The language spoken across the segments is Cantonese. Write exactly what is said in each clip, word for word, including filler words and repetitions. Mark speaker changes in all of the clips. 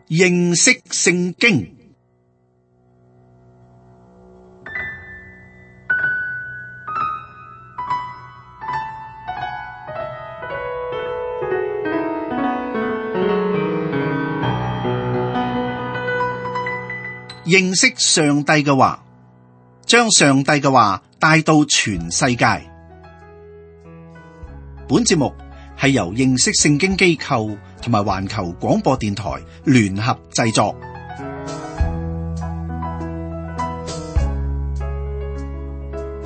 Speaker 1: 認識聖經。認識上帝嘅話，將上帝嘅話帶到全世界。本節目係由認識聖經機構同埋環球廣播電台聯合製作。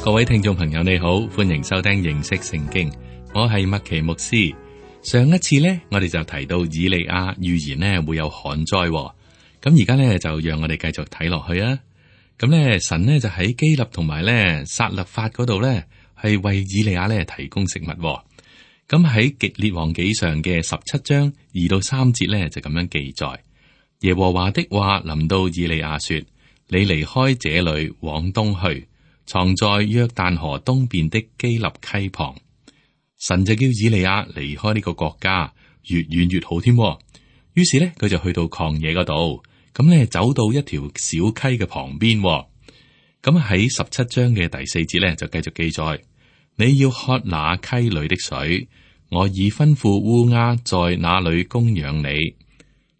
Speaker 2: 各位聽眾朋友你好，歡迎收聽認識聖經，我係麥奇牧師。上一次呢，我哋就提到以利亞預言呢會有旱災。咁而家咧就讓我哋繼續睇落去啊！咁咧神呢就喺基立同埋咧撒勒法嗰度咧係為以利亞咧提供食物。咁喺《列王紀上》嘅十七章二到三節咧就咁樣記載：耶和華的話臨到以利亞說：你離開這裏往東去，藏在約旦河東邊的基立溪旁。神就叫以利亞離開呢個國家，越遠越好添。於是咧佢就去到曠野嗰度。咁咧走到一條小溪嘅旁邊，咁喺十七章嘅第四節咧就繼續記載：你要喝那溪裏的水，我已吩咐烏鴉在那裏供養你。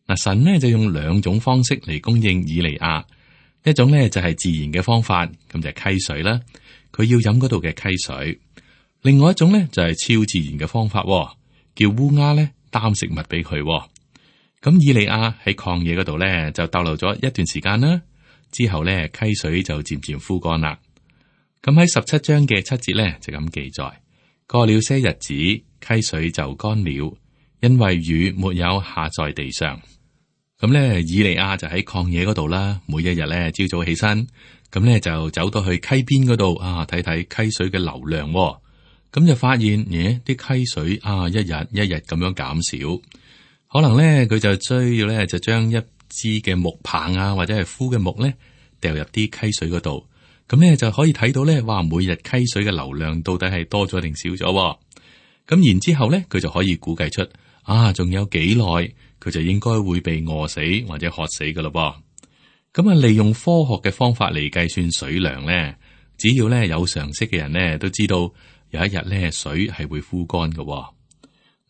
Speaker 2: 嗱，神呢就用兩種方式嚟供應以利亞，一種咧就係自然嘅方法，咁就係溪水啦，佢要飲嗰度嘅溪水；另外一種咧就係超自然嘅方法，叫烏鴉咧擔食物俾佢。咁以利亞喺曠野嗰度咧就逗留咗一段時間啦，之後咧溪水就漸漸枯乾啦。咁喺十七章嘅七節咧就咁記載：過了些日子，溪水就乾了，因為雨沒有下在地上。咁咧以利亞就喺曠野嗰度啦，每一日咧朝早起身，咁咧就走到去溪邊嗰度啊，睇睇溪水嘅流量。咁就發現，咦，啲溪水啊一日一日咁樣減少。可能咧，佢就需要咧，就將一支嘅木棒啊，或者係枯嘅木咧，掉入啲溪水嗰度，咁咧就可以睇到咧，哇！每日溪水嘅流量到底係多咗定少咗？咁然之後咧，佢就可以估計出啊，仲有幾耐佢就應該會被餓死或者渴死噶咯噃。咁啊，利用科學嘅方法嚟計算水量咧，只要咧有常識嘅人咧，都知道有一日咧水係會枯乾噶。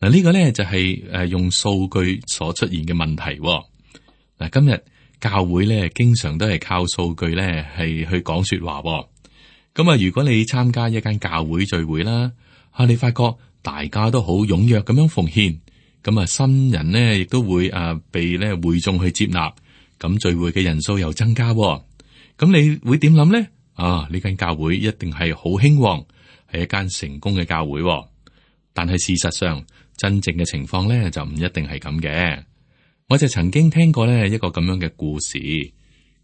Speaker 2: 嗱，呢個咧就係誒用數據所出現嘅問題。嗱，今日教會咧經常都係靠數據咧係去講說話。咁啊，如果你參加一間教會聚會啦，啊，你發覺大家都好踴躍咁樣奉獻，咁啊新人呢亦都會啊被咧會眾去接納，咁聚會嘅人數又增加。咁你會點諗咧？啊，呢間教會一定係好興旺，係一間成功嘅教會。但係事實上，真正嘅情況咧就唔一定係咁嘅。我就曾經聽過咧一個咁樣嘅故事。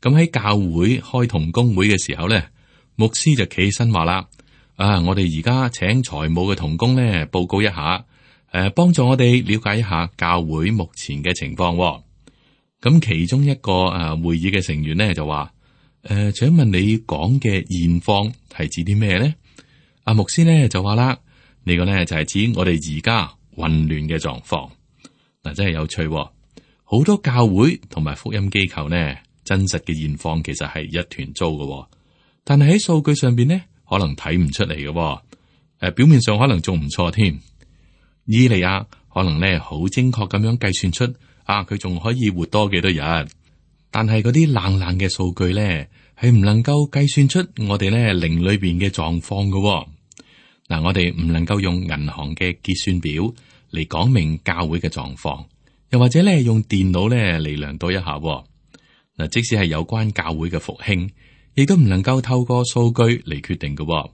Speaker 2: 咁喺教會開同工會嘅時候咧，牧師就企起身話啦：啊，我哋而家請財務嘅同工咧報告一下，誒、啊，幫助我哋了解一下教會目前嘅情況。咁其中一個誒、啊、會議嘅成員咧就話：誒、啊，請問你講嘅現況係指啲咩咧？阿、啊、牧師咧就話啦。呢個咧就係指我哋而家混亂嘅狀況。嗱，真係有趣喎，好多教會同埋福音機構呢，真實嘅現況其實係一團糟嘅，但係喺數據上邊呢，可能睇唔出嚟嘅。誒，表面上可能仲唔錯添。以利亞可能咧好精確咁樣計算出啊，佢仲可以活多幾多日。但係嗰啲冷冷嘅數據咧，係唔能夠計算出我哋咧靈裏邊嘅狀況嘅。嗱，我哋唔能夠用銀行嘅結算表嚟講明教會嘅狀況，又或者咧用電腦咧嚟量度一下。嗱，即使係有關教會嘅復興，亦都唔能夠透過數據嚟決定嘅。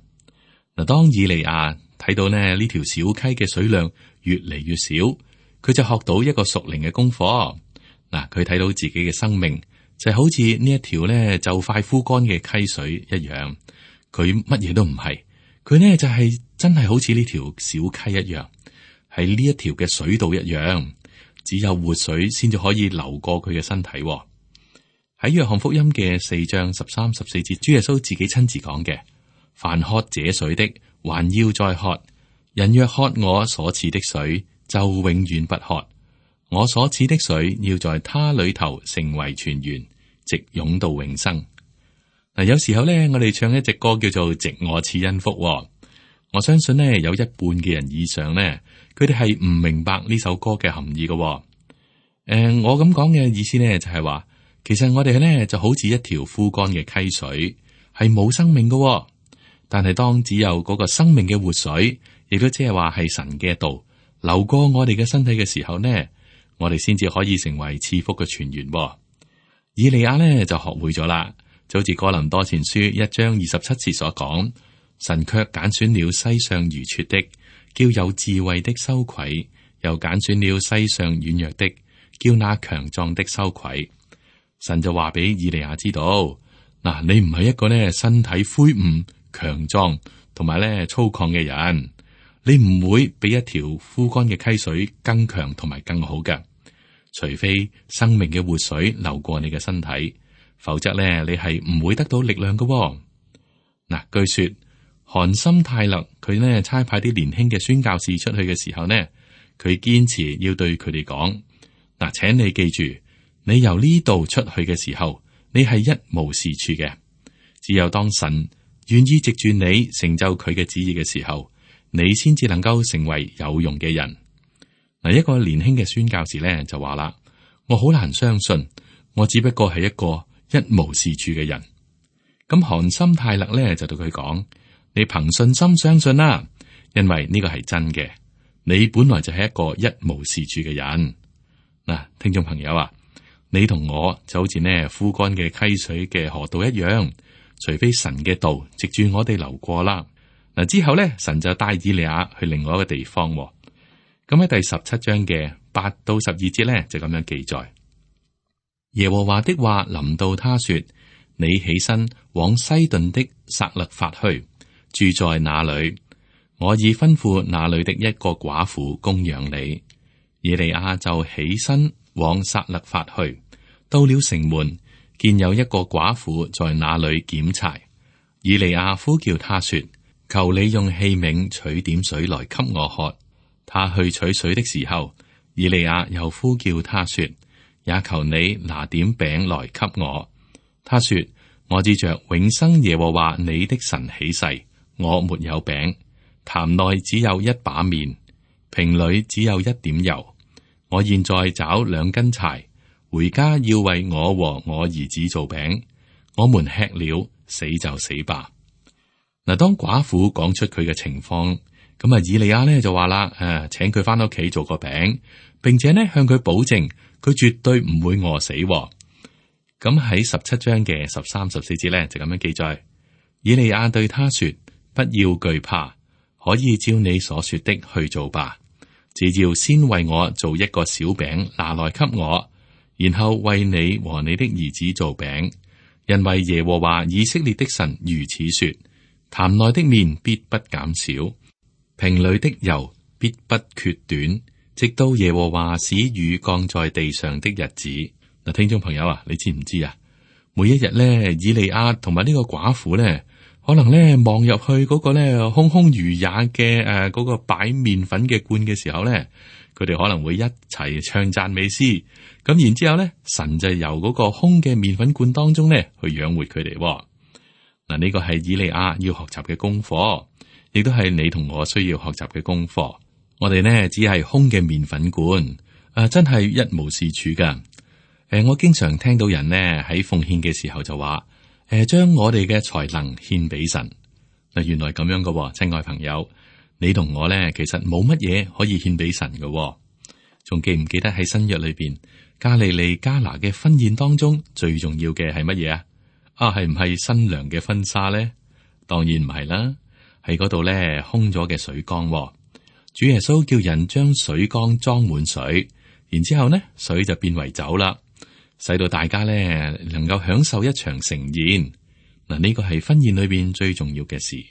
Speaker 2: 嗱，當以利亞睇到呢呢條小溪嘅水量越嚟越少，佢就學到一個屬靈嘅功課。嗱，佢睇到自己嘅生命就係好似呢一條咧就快枯乾嘅溪水一樣，佢乜嘢都唔係。佢呢就係、是、真係好似呢條小溪一樣，喺呢一條嘅水道一樣，只有活水先至可以流過佢嘅身體。喺約翰福音嘅四章十三、十四節，主耶穌自己親自講嘅：凡喝這水的，還要再喝；人若喝我所賜的水，就永遠不渴。我所賜的水要在他裏頭成為泉源，直湧到永生。嗱，有時候咧，我哋唱一隻歌叫做《直我賜恩福》。我相信呢，有一半嘅人以上呢，佢哋係唔明白呢首歌嘅含義嘅。誒、呃，我咁講嘅意思呢，就係話，其實我哋呢就好似一條枯乾嘅溪水，係冇生命嘅。但係當只有嗰個生命嘅活水，亦都即係話係神嘅道流過我哋嘅身體嘅時候呢，我哋先至可以成為賜福嘅泉源。以利亞呢就學會咗啦，就好似哥林多前書一章二十七節所講，神卻揀選了世上愚拙的，叫有智慧的羞愧；又揀選了世上軟弱的，叫那強壯的羞愧。神就話俾以利亞知道，嗱，你唔係一個呢身體魁梧、強壯同埋咧粗獷嘅人，你唔會比一條枯乾嘅溪水更強同埋更好嘅。除非生命嘅活水流過你嘅身體，否則咧你係唔會得到力量嘅。嗱，據說韓森泰勒佢呢差派啲年輕嘅宣教士出去嘅時候呢，佢堅持要對佢哋講：嗱，請你記住，你由呢度出去嘅時候，你係一無是處嘅。只有當神願意藉住你成就佢嘅旨意嘅時候，你先至能夠成為有用嘅人。嗱，一個年輕嘅宣教士咧就話啦：我好難相信，我只不過係一個一無是處嘅人。咁韓森泰勒咧就對佢講：你憑信心相信啦，因為呢個係真嘅。你本來就係一個一無是處嘅人。嗱，聽眾朋友啊，你同我就好似呢枯乾嘅溪水嘅河道一樣，除非神嘅道藉住我哋流過啦。嗱，之後咧，神就帶以利亞去另外一個地方。咁喺第十七章嘅八到十二節咧，就咁樣記載：耶和華的話臨到他說，你起身往西頓的撒勒法去，住在那裏。我已吩咐那裏的一個寡婦供養你。以利亞就起身往撒勒法去，到了城門，見有一個寡婦在那裏撿柴。以利亞呼叫他說：求你用器皿取點水來給我喝。他去取水的時候，以利亞又呼叫他說：也求你拿點餅來給我。他說：我指着永生耶和華你的神起誓，我沒有餅，壇內只有一把麵，瓶裏只有一點油。我現在找兩根柴，回家要為我和我兒子做餅，我們吃了，死就死吧。嗱，當寡婦講出佢嘅情況，咁啊，以利亞呢就話啦：誒，請佢翻屋企做個餅，並且呢向佢保證，佢絕對唔會餓死。咁喺十七章嘅十三、十四節呢，就咁樣記載：以利亞對他說：不要懼怕，可以照你所說的去做吧。只要先為我做一個小餅拿來給我，然後為你和你的兒子做餅，因為耶和華以色列的神如此說：壇內的麵必不減少，瓶裏的油必不缺短，直到耶和華使雨降在地上的日子。嗱，聽眾朋友啊，你知唔知啊？每一日咧，以利亞同埋呢個寡婦咧，可能咧望入去嗰個咧空空如也嘅誒嗰個擺麵粉嘅罐嘅時候咧，佢哋可能會一齊唱讚美詩。咁然之後咧，神就由嗰個空嘅麵粉罐當中咧去養活佢哋。嗱，呢個係以利亞要學習嘅功課，亦都係你同我需要學習嘅功課。我哋呢只係空嘅麵粉罐，啊，真係一無是處噶。誒、呃，我經常聽到人呢喺奉獻嘅時候就話：誒、呃，將我哋嘅才能獻俾神。嗱，原來咁樣噶，親愛朋友，你同我呢其實冇乜嘢可以獻俾神噶。仲記唔記得喺新約裏邊加利利加拿嘅婚宴當中最重要嘅係乜嘢啊？啊，係唔係新娘嘅婚紗咧？當然唔係啦，喺嗰度咧空咗嘅水缸。主耶穌叫人將水缸裝滿水，然之後呢水就變為酒啦，使到大家咧能夠享受一場盛宴。嗱，呢個係婚宴裏邊最重要嘅事。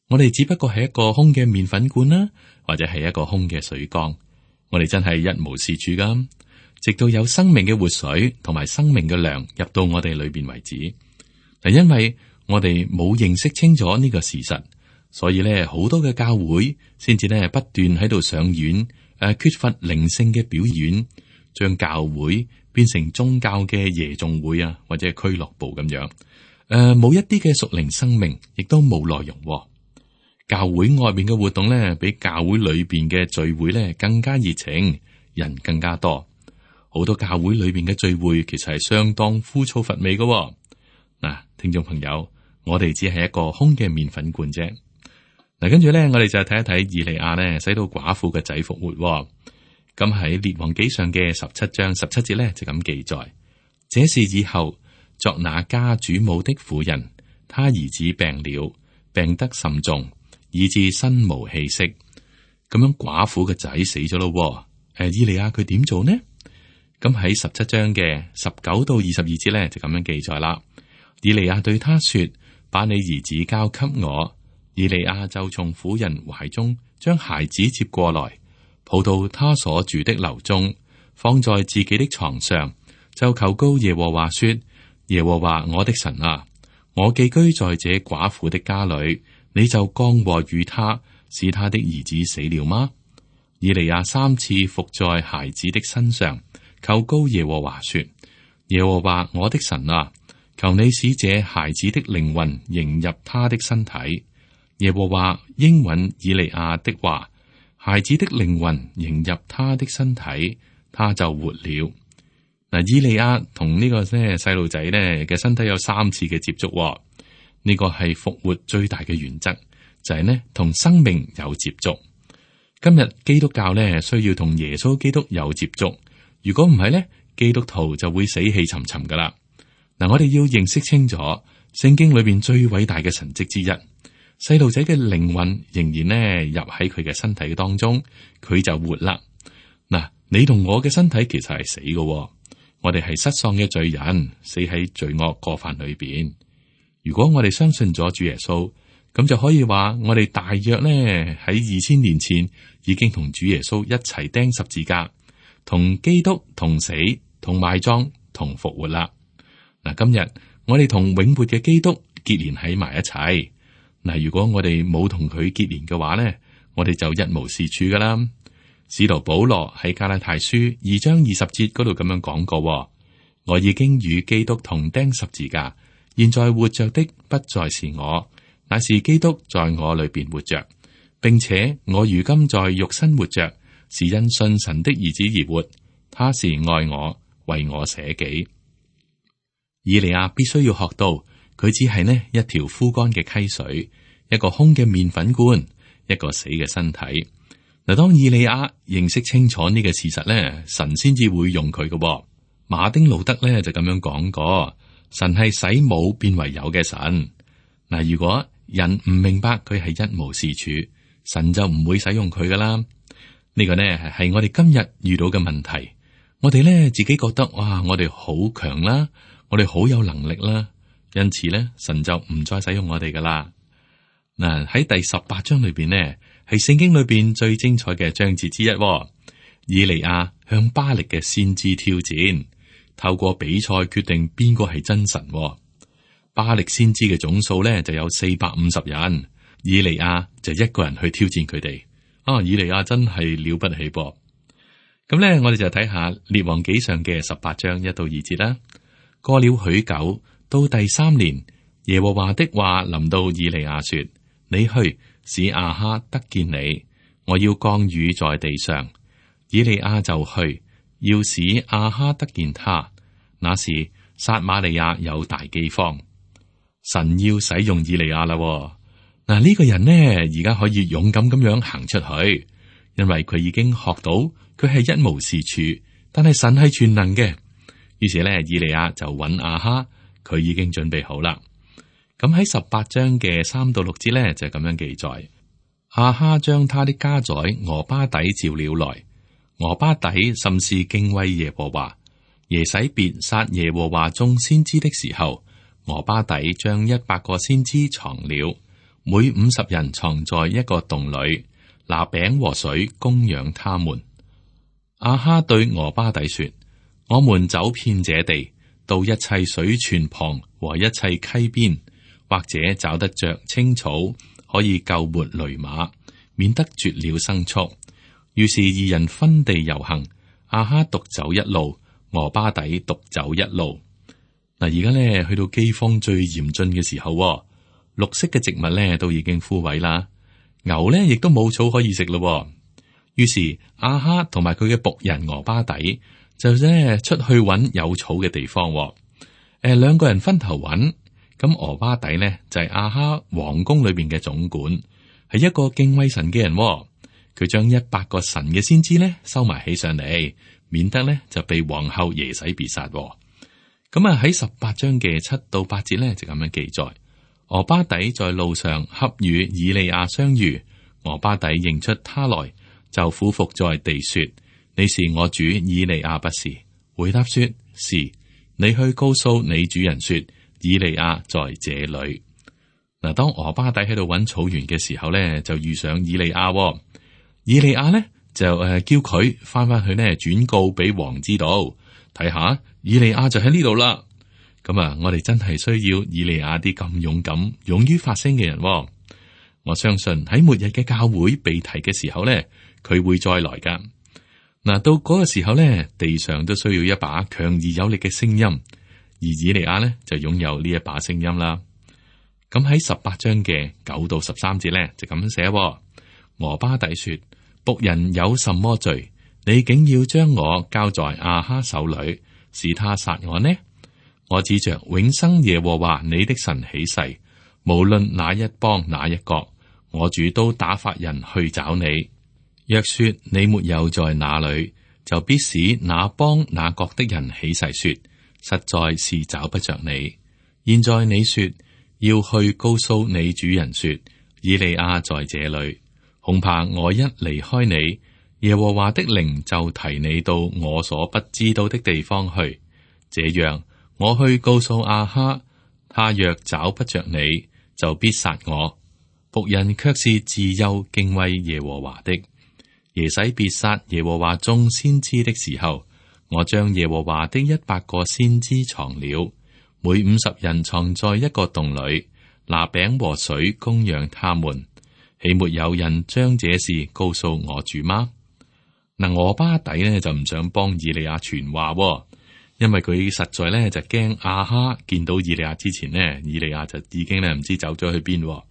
Speaker 2: 我哋只不過係一個空嘅麵粉罐啦，或者係一個空嘅水缸。我哋真係一無是處噶，直到有生命嘅活水同埋生命嘅糧入到我哋裏邊為止。嗱，因為我哋冇認識清楚呢個事實，所以咧好多嘅教會先至咧不斷喺度上演誒、啊、缺乏靈性嘅表演，將教會變成宗教嘅夜總會啊，或者係俱樂部咁樣。誒、呃，冇一啲嘅屬靈生命，亦都冇內容、哦。教會外邊嘅活動咧，比教會裏邊嘅聚會咧更加熱情，人更加多。好多教會裏邊嘅聚會其實係相當枯燥乏味嘅、哦。嗱，聽眾朋友，我哋只係一個空嘅麵粉罐啫。嗱，跟住咧，我哋就睇一睇以利亞咧，使到寡婦嘅仔復活、哦。咁喺列王紀上嘅十七章十七節咧，就咁記載：這事以後，作那家主母的婦人，他兒子病了，病得甚重，以致身無氣息。咁樣寡婦嘅仔死咗咯。誒，以利亞佢點做呢？咁喺十七章嘅十九到二十二節咧，就咁樣記載啦。以利亞對他說：把你兒子交給我。以利亞就從婦人懷中將孩子接過來，抱到他所住的樓中，放在自己的床上，就求告耶和華說：耶和華我的神啊，我寄居在這寡婦的家裏，你就降禍與他，使他的兒子死了嗎？以利亞三次伏在孩子的身上，求告耶和華說：耶和華我的神啊，求你使這孩子的靈魂迎入他的身體。耶和華應允以利亞的話，孩子的靈魂迎入他的身體，他就活了。嗱，以利亞同呢個咧細路仔咧嘅身體有三次嘅接觸、哦，呢、這個係復活最大嘅原則，就係、是、呢同生命有接觸。今日基督教咧需要同耶穌基督有接觸，如果唔係咧，基督徒就會死氣沉沉噶啦。嗱，我哋要認識清楚聖經裏邊最偉大嘅神蹟之一。細路仔嘅靈魂仍然呢入喺佢嘅身體當中，佢就活啦。嗱，你同我嘅身體其實係死嘅、哦，我哋係失喪嘅罪人，死喺罪惡過犯裏邊。如果我哋相信咗主耶穌，咁就可以話我哋大約呢喺二千年前已經同主耶穌一齊釘十字架，同基督同死、同埋葬、同復活啦。嗱，今日我哋同永活嘅基督結連喺埋一齊。嗱，如果我哋冇同佢結連嘅話咧，我哋就一無是處噶啦。使徒保羅喺加拉太書二章二十節嗰度咁樣講過：我已經與基督同釘十字架，現在活着的不再是我，乃是基督在我裏邊活着，並且我如今在肉身活着，是因信神的兒子而活。他是愛我，為我捨己。以利亞必須要學到。佢只係呢一條枯乾嘅溪水，一個空嘅麵粉罐，一個死嘅身體。嗱，當以利亞認識清楚呢個事實咧，神先至會用佢嘅。馬丁路德咧就咁樣講過：神係使冇變為有嘅神。嗱，如果人唔明白佢係一無是處，神就唔會使用佢噶啦。呢、這個呢係我哋今日遇到嘅問題。我哋咧自己覺得哇，我哋好強啦，我哋好有能力啦。因此咧，神就唔再使用我哋噶啦。嗱，喺第十八章裏邊呢，係聖經裏邊最精彩嘅章節之一、哦。以利亞向巴力嘅先知挑戰，透過比賽決定邊個係真神、哦。巴力先知嘅總數咧就有四百五十人，以利亞就一個人去挑戰佢哋。啊，以利亞真係了不起噃。咁咧，我哋就睇下列王紀上嘅十八章一到二節啦。過了許久。到第三年，耶和華的話臨到以利亞說：你去使亞哈得見你，我要降雨在地上。以利亞就去，要使亞哈得見他。那時撒瑪利亞有大饑荒，神要使用以利亞啦。嗱，呢個人呢，而家可以勇敢咁樣行出去，因為佢已經學到佢係一無是處，但係神係全能嘅。於是咧，以利亞就揾亞哈。佢已經準備好啦。咁喺十八章嘅三到六節咧，就咁樣記載：亞哈將他的家宰俄巴底召了來，俄巴底甚是敬畏耶和華。耶洗別殺耶和華眾先知的時候，俄巴底將一百個先知藏了，每五十人藏在一個洞裏，拿餅和水供養他們。亞哈對俄巴底說：我們走遍這地，到一切水泉旁和一切溪邊，或者找得着青草，可以救活騾馬，免得絕了牲畜。於是二人分地遊行。亞哈獨走一路，俄巴底獨走一路。嗱，而家咧去到饑荒最嚴峻嘅時候，綠色嘅植物咧都已經枯萎啦，牛咧亦都冇草可以食咯。於是亞哈同埋佢嘅僕人俄巴底就咧出去揾有草嘅地方。誒、呃，兩個人分頭揾。咁俄巴底呢，就係、是、亞哈皇宮裏邊嘅總管，係一個敬畏神嘅人。佢將一百個神嘅先知呢收埋起上嚟，免得呢就被皇后耶洗別殺。咁啊喺十八章嘅七到八節呢，就咁樣記載：俄巴底在路上恰與以利亞相遇，俄巴底認出他來，就俯伏在地說：你是我主以利亞不是？回答說：是。你去告訴你主人說：以利亞在這裏。嗱，當俄巴底喺度揾草原嘅時候咧，就遇上以利亞。以利亞咧就誒叫佢翻翻去呢，轉告俾王知道，睇下以利亞就喺呢度啦。咁啊，我哋真係需要以利亞啲咁勇敢、勇於發聲嘅人。我相信喺末日嘅教會被提嘅時候咧，佢會再來噶。嗱，到嗰個時候咧，地上都需要一把強而有力嘅聲音。而以利亞呢，就擁有呢一把聲音啦。咁喺十八章嘅九到十三節呢，就咁樣寫：俄巴底說，僕人有什麼罪？你竟要將我交在亞哈手裏，使他殺我呢？我指着永生耶和華你的神起誓，無論哪一邦哪一國，我主都打發人去找你。若說你沒有在那裏，就必使那邦那國的人起誓說，實在是找不着你。現在你說要去告訴你主人說，以利亞在這裏，恐怕我一離開你，耶和華的靈就提你到我所不知道的地方去。這樣我去告訴亞哈，他若找不着你，就必殺我。僕人卻是自幼敬畏耶和華的。耶洗別殺耶和華眾先知的時候，我將耶和華的一百個先知藏了，每五十人藏在一個洞裏，拿餅和水供養他們。豈沒有人將這事告訴我主嗎？嗱，俄巴底呢就唔想幫以利亞傳話，因為佢實在咧就驚亞哈見到以利亞之前呢，以利亞就已經咧唔知走咗去邊。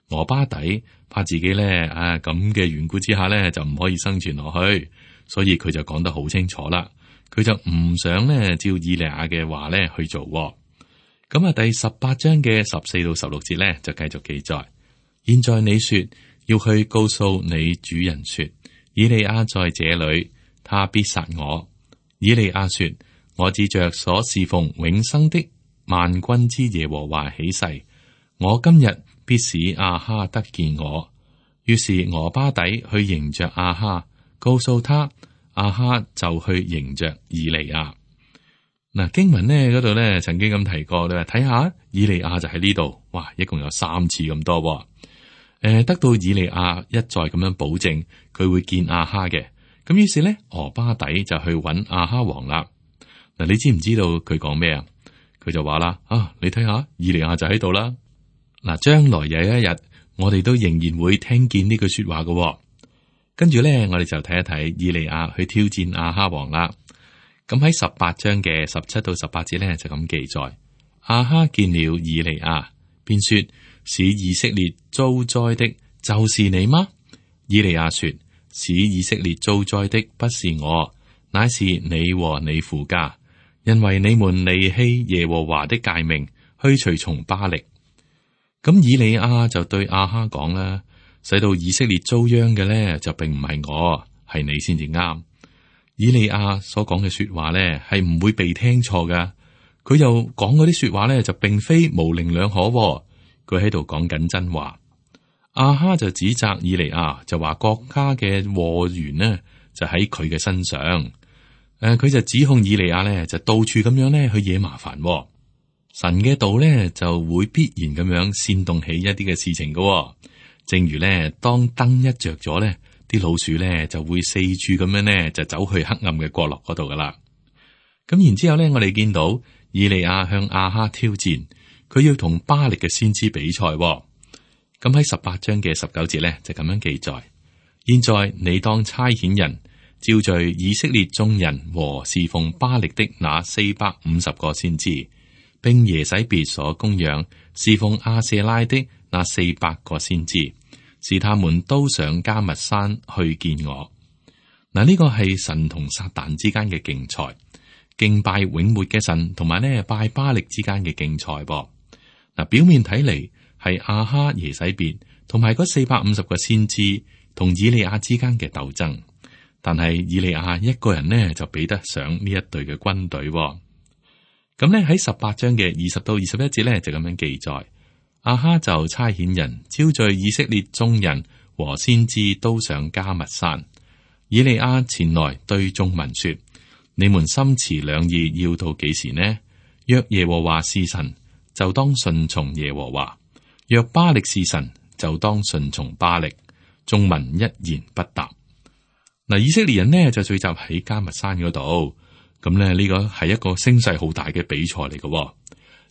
Speaker 2: 俄巴底怕自己咧啊咁嘅緣故之下咧就唔可以生存落去，所以佢就講得好清楚啦。佢就唔想咧照以利亞嘅話咧去做。咁啊，第十八章嘅十四到十六節咧就繼續記載。現在你說要去告訴你主人說，以利亞在這裏，他必殺我。以利亞說，我指着所侍奉永生的萬軍之耶和華起誓，我今日必使亞哈得見我。於是俄巴底去迎着亞哈，告訴他，亞哈就去迎着以利亞。嗱，經文呢嗰度呢曾經咁提過，你話睇下以利亞就喺呢度，哇，一共有三次咁多。誒、呃，得到以利亞一再咁樣保證佢會見亞哈嘅，咁於是呢，俄巴底就去揾亞哈王啦。嗱，你知唔知道佢講咩啊？佢就話啦，啊，你睇下以利亞就喺度啦。嗱，將來有一日我哋都仍然會聽見呢句說話嘅。跟住咧，我哋就睇一睇以利亞去挑戰亞哈王啦。咁喺十八章嘅十七到十八節咧就咁記載：亞哈見了以利亞，便說：使以色列遭災的，就是你嗎？以利亞說：使以色列遭災的不是我，乃是你和你父家，因為你們離棄耶和華的誡命，去隨從巴力。咁以利亞就對亞哈講啦，使到以色列遭殃嘅咧，就並唔係我，係你先至啱。以利亞所講嘅說話咧，係唔會被聽錯噶。佢又講嗰啲說話咧，就並非模棱兩可。佢喺度講緊真話。亞哈就指責以利亞，就話國家嘅禍源呢，就喺佢嘅身上。誒、呃，佢就指控以利亞咧，就到處咁樣咧去惹麻煩。神嘅道咧就會必然咁樣煽動起一啲嘅事情噶、哦，正如咧當燈一着咗咧，啲老鼠咧就會四處咁樣咧就走去黑暗嘅角落嗰度噶啦。咁然之後咧，我哋見到以利亞向亞哈挑戰，佢要同巴力嘅先知比賽、哦。咁喺十八章嘅十九節咧就咁樣記載：現在你當差遣人招聚以色列眾人和侍奉巴力的那四百五十個先知，並耶洗別所供養侍奉亞舍拉的那四百個先知，使他們都上迦密山去見我。嗱，呢個係神同撒旦之間嘅競賽，敬拜永活嘅神同埋呢拜巴力之間嘅競賽噃。嗱，表面睇嚟係亞哈耶洗別同埋嗰四百五十個先知同以利亞之間嘅鬥爭，但係以利亞一個人呢就比得上呢一隊嘅軍隊。咁呢喺十八章嘅二十到二十一節呢就咁樣記載，亞哈就差遣人招聚以色列眾人和先知都上迦密山。以利亞前來對眾民說：你們心持兩意要到幾時呢？若耶和華是神，就當順從耶和華；若巴力是神，就當順從巴力。眾民一言不答。嗱，以色列人呢就聚集喺迦密山嗰度，咁咧呢個係一個聲勢好大嘅比賽嚟嘅。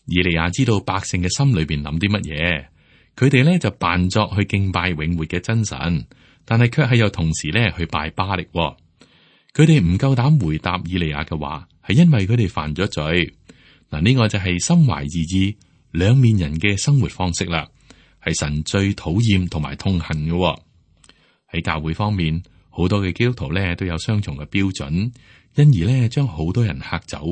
Speaker 2: 以利亞知道百姓嘅心裏邊諗啲乜嘢，佢哋呢就扮作去敬拜永活嘅真神。但係卻係又同時咧去拜巴力。佢哋唔夠膽回答以利亞嘅話，係因為佢哋犯咗罪。嗱，呢個就係心懷二意、兩面人嘅生活方式啦，係神最討厭同埋痛恨嘅。喺教會方面，好多嘅基督徒咧都有雙重嘅標準，因而咧將好多人嚇走。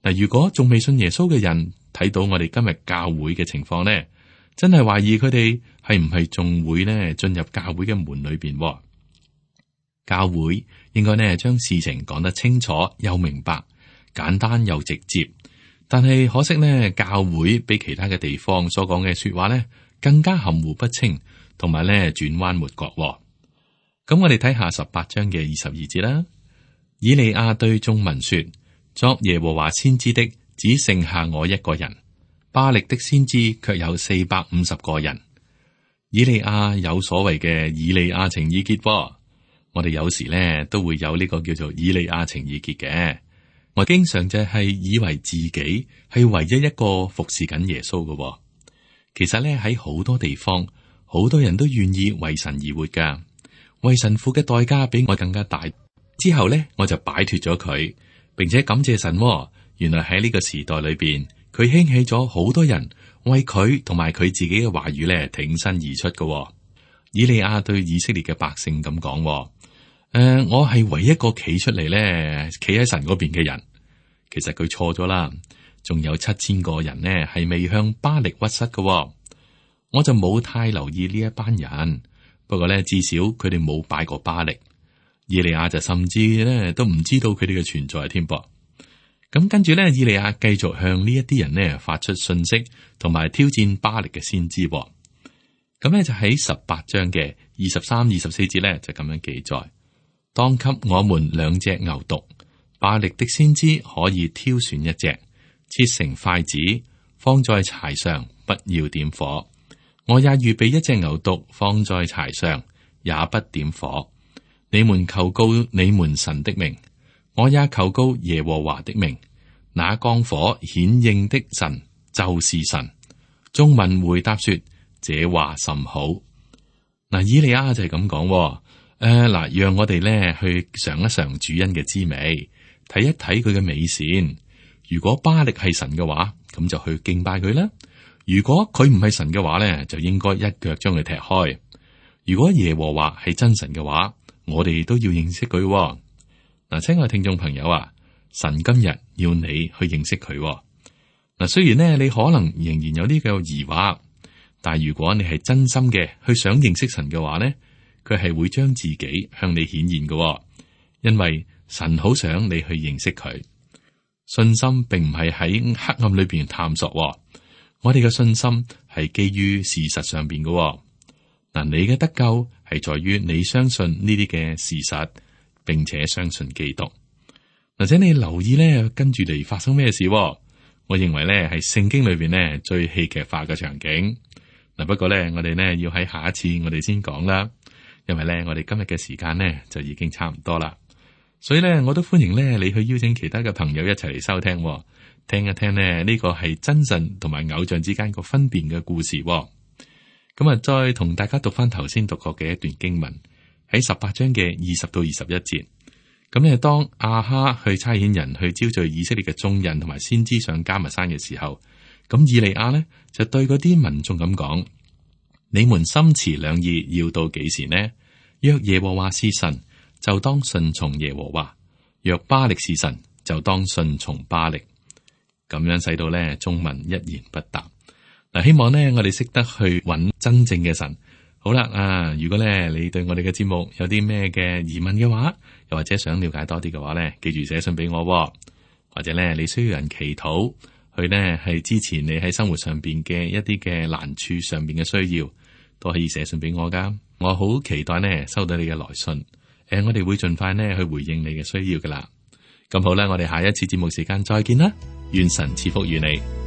Speaker 2: 嗱，如果仲未信耶穌嘅人睇到我哋今日教會嘅情況咧，真係懷疑佢哋係唔係仲會呢進入教會嘅門裏邊？教會應該呢將事情講得清楚又明白，簡單又直接。但係可惜呢，教會比其他嘅地方所講嘅說話呢更加含糊不清，同埋呢轉彎抹角。咁我哋睇下十八章嘅二十二節啦。以利亞對眾民說：作耶和華先知的只剩下我一個人。巴力的先知卻有四百五十個人。以利亞有所謂嘅以利亞情意結，我哋有時咧都會有呢個叫做以利亞情意結嘅。我經常就係以為自己係唯一一個服侍緊耶穌嘅。其實咧喺好多地方，好多人都願意為神而活噶，為神付嘅代價比我更加大。之後咧我就擺脫咗佢，並且感謝神。原來喺呢個時代裏邊，佢興起咗好多人為佢同埋佢自己嘅話語咧挺身而出嘅、哦。以利亞對以色列嘅百姓咁講：誒、呃，我係唯一一個企出嚟咧，企喺神嗰邊嘅人。其實佢錯咗啦，仲有七千個人呢係未向巴力屈膝嘅、哦。我就冇太留意呢一班人，不過咧至少佢哋冇拜過巴力。以利亞就甚至咧都唔知道佢哋嘅存在添噃。咁跟住咧，以利亞繼續向呢一啲人呢發出信息，同埋挑戰巴力嘅先知。咁咧就喺十八章嘅二十三、二十四節咧就咁樣記載：當給我們兩隻牛犢，巴力的先知可以挑選一隻，切成筷子，放在柴上，不要點火。我也預備一隻牛犢，放在柴上，也不點火。你們求告你們神的名。我也求告耶和華的名，那降火顯應的神就是神。眾民回答說：這話甚好。嗱，以利亞就係咁講，誒、呃、嗱，讓我哋咧去嘗一嘗主恩嘅滋味，睇一睇佢嘅美善。如果巴力係神嘅話，咁就去敬拜佢啦。如果佢唔係神嘅話咧，就應該一腳將佢踢開。如果耶和華係真神嘅話，我哋都要認識佢。嗱，親愛聽眾朋友啊，神今日要你去認識佢。嗱，雖然呢，你可能仍然有呢個疑惑，但係如果你係真心嘅去想認識神嘅話呢，佢係會將自己向你顯現嘅，因為神好想你去認識佢。信心並唔係喺黑暗裏邊探索，我哋嘅信心係基於事實上邊嘅。嗱，你嘅得救係在於你相信呢啲嘅事實。並且相信基督，或者你留意咧，跟住嚟發生咩事？我認為咧係聖經裏邊咧最戲劇化嘅場景。嗱，不過咧我哋咧要喺下一次我哋先講啦，因為咧我哋今日嘅時間咧就已經差唔多啦。所以咧我都歡迎咧你去邀請其他嘅朋友一齊嚟收聽，聽一聽咧呢個係真神同埋偶像之間個分辨嘅故事。咁啊，再同大家讀翻頭先讀過嘅一段經文。喺十八章嘅二十到二十一節，咁咧，當亞哈去差遣人去招聚以色列嘅眾人同埋先知上迦密山嘅時候，咁以利亞呢就對嗰啲民眾咁講：你們心持兩意，要到幾時呢？若耶和華是神，就當順從耶和華；若巴力是神，就當順從巴力。咁樣使到咧眾民一言不答。嗱，希望呢我哋識得去揾真正嘅神。好啦，啊，如果咧你對我哋嘅節目有啲咩嘅疑問嘅話，又或者想了解多啲嘅話咧，記住寫信俾我，或者咧你需要人祈禱，去呢係支持你喺生活上邊嘅一啲嘅難處上邊嘅需要，都可以寫信俾我噶。我好期待呢收到你嘅來信，誒、呃，我哋會盡快呢去回應你嘅需要噶啦。咁好啦，我哋下一次節目時間再見啦，願神賜福於你。